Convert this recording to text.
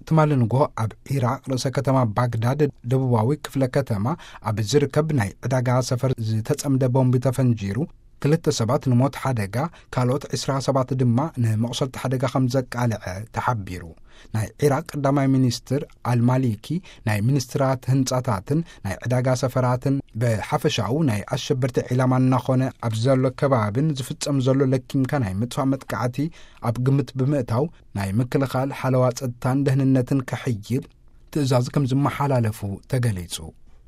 ትማሊ ንጎ ኣብ ኢራቅ ርእሰ ከተማ ባግዳድ ደቡባዊ ክፍለ ከተማ ኣብ ዝርከብ ናይ ዕዳጋ ሰፈር ዝተጸምደ ቦምብ ተፈንጂሩ ክልተ ሰባት ንሞት ሓደጋ፣ ካልኦት ዕስራ ሰባት ድማ ንመቑሰልቲ ሓደጋ ከም ዘቃልዐ ተሓቢሩ። ናይ ኢራቅ ቀዳማይ ሚኒስትር ኣልማሊኪ ናይ ሚኒስትራት ህንጻታትን ናይ ዕዳጋ ሰፈራትን ብሓፈሻኡ ናይ ኣሸበርቲ ዒላማ እናኾነ ኣብ ዘሎ ከባብን ዝፍጸም ዘሎ ለኪምካ ናይ ምጥፋእ መጥቃዕቲ ኣብ ግምት ብምእታው ናይ ምክልኻል ሓለዋ ጸጥታን ደህንነትን ከሕይል ትእዛዝ ከም ዝመሓላለፉ ተገሊጹ።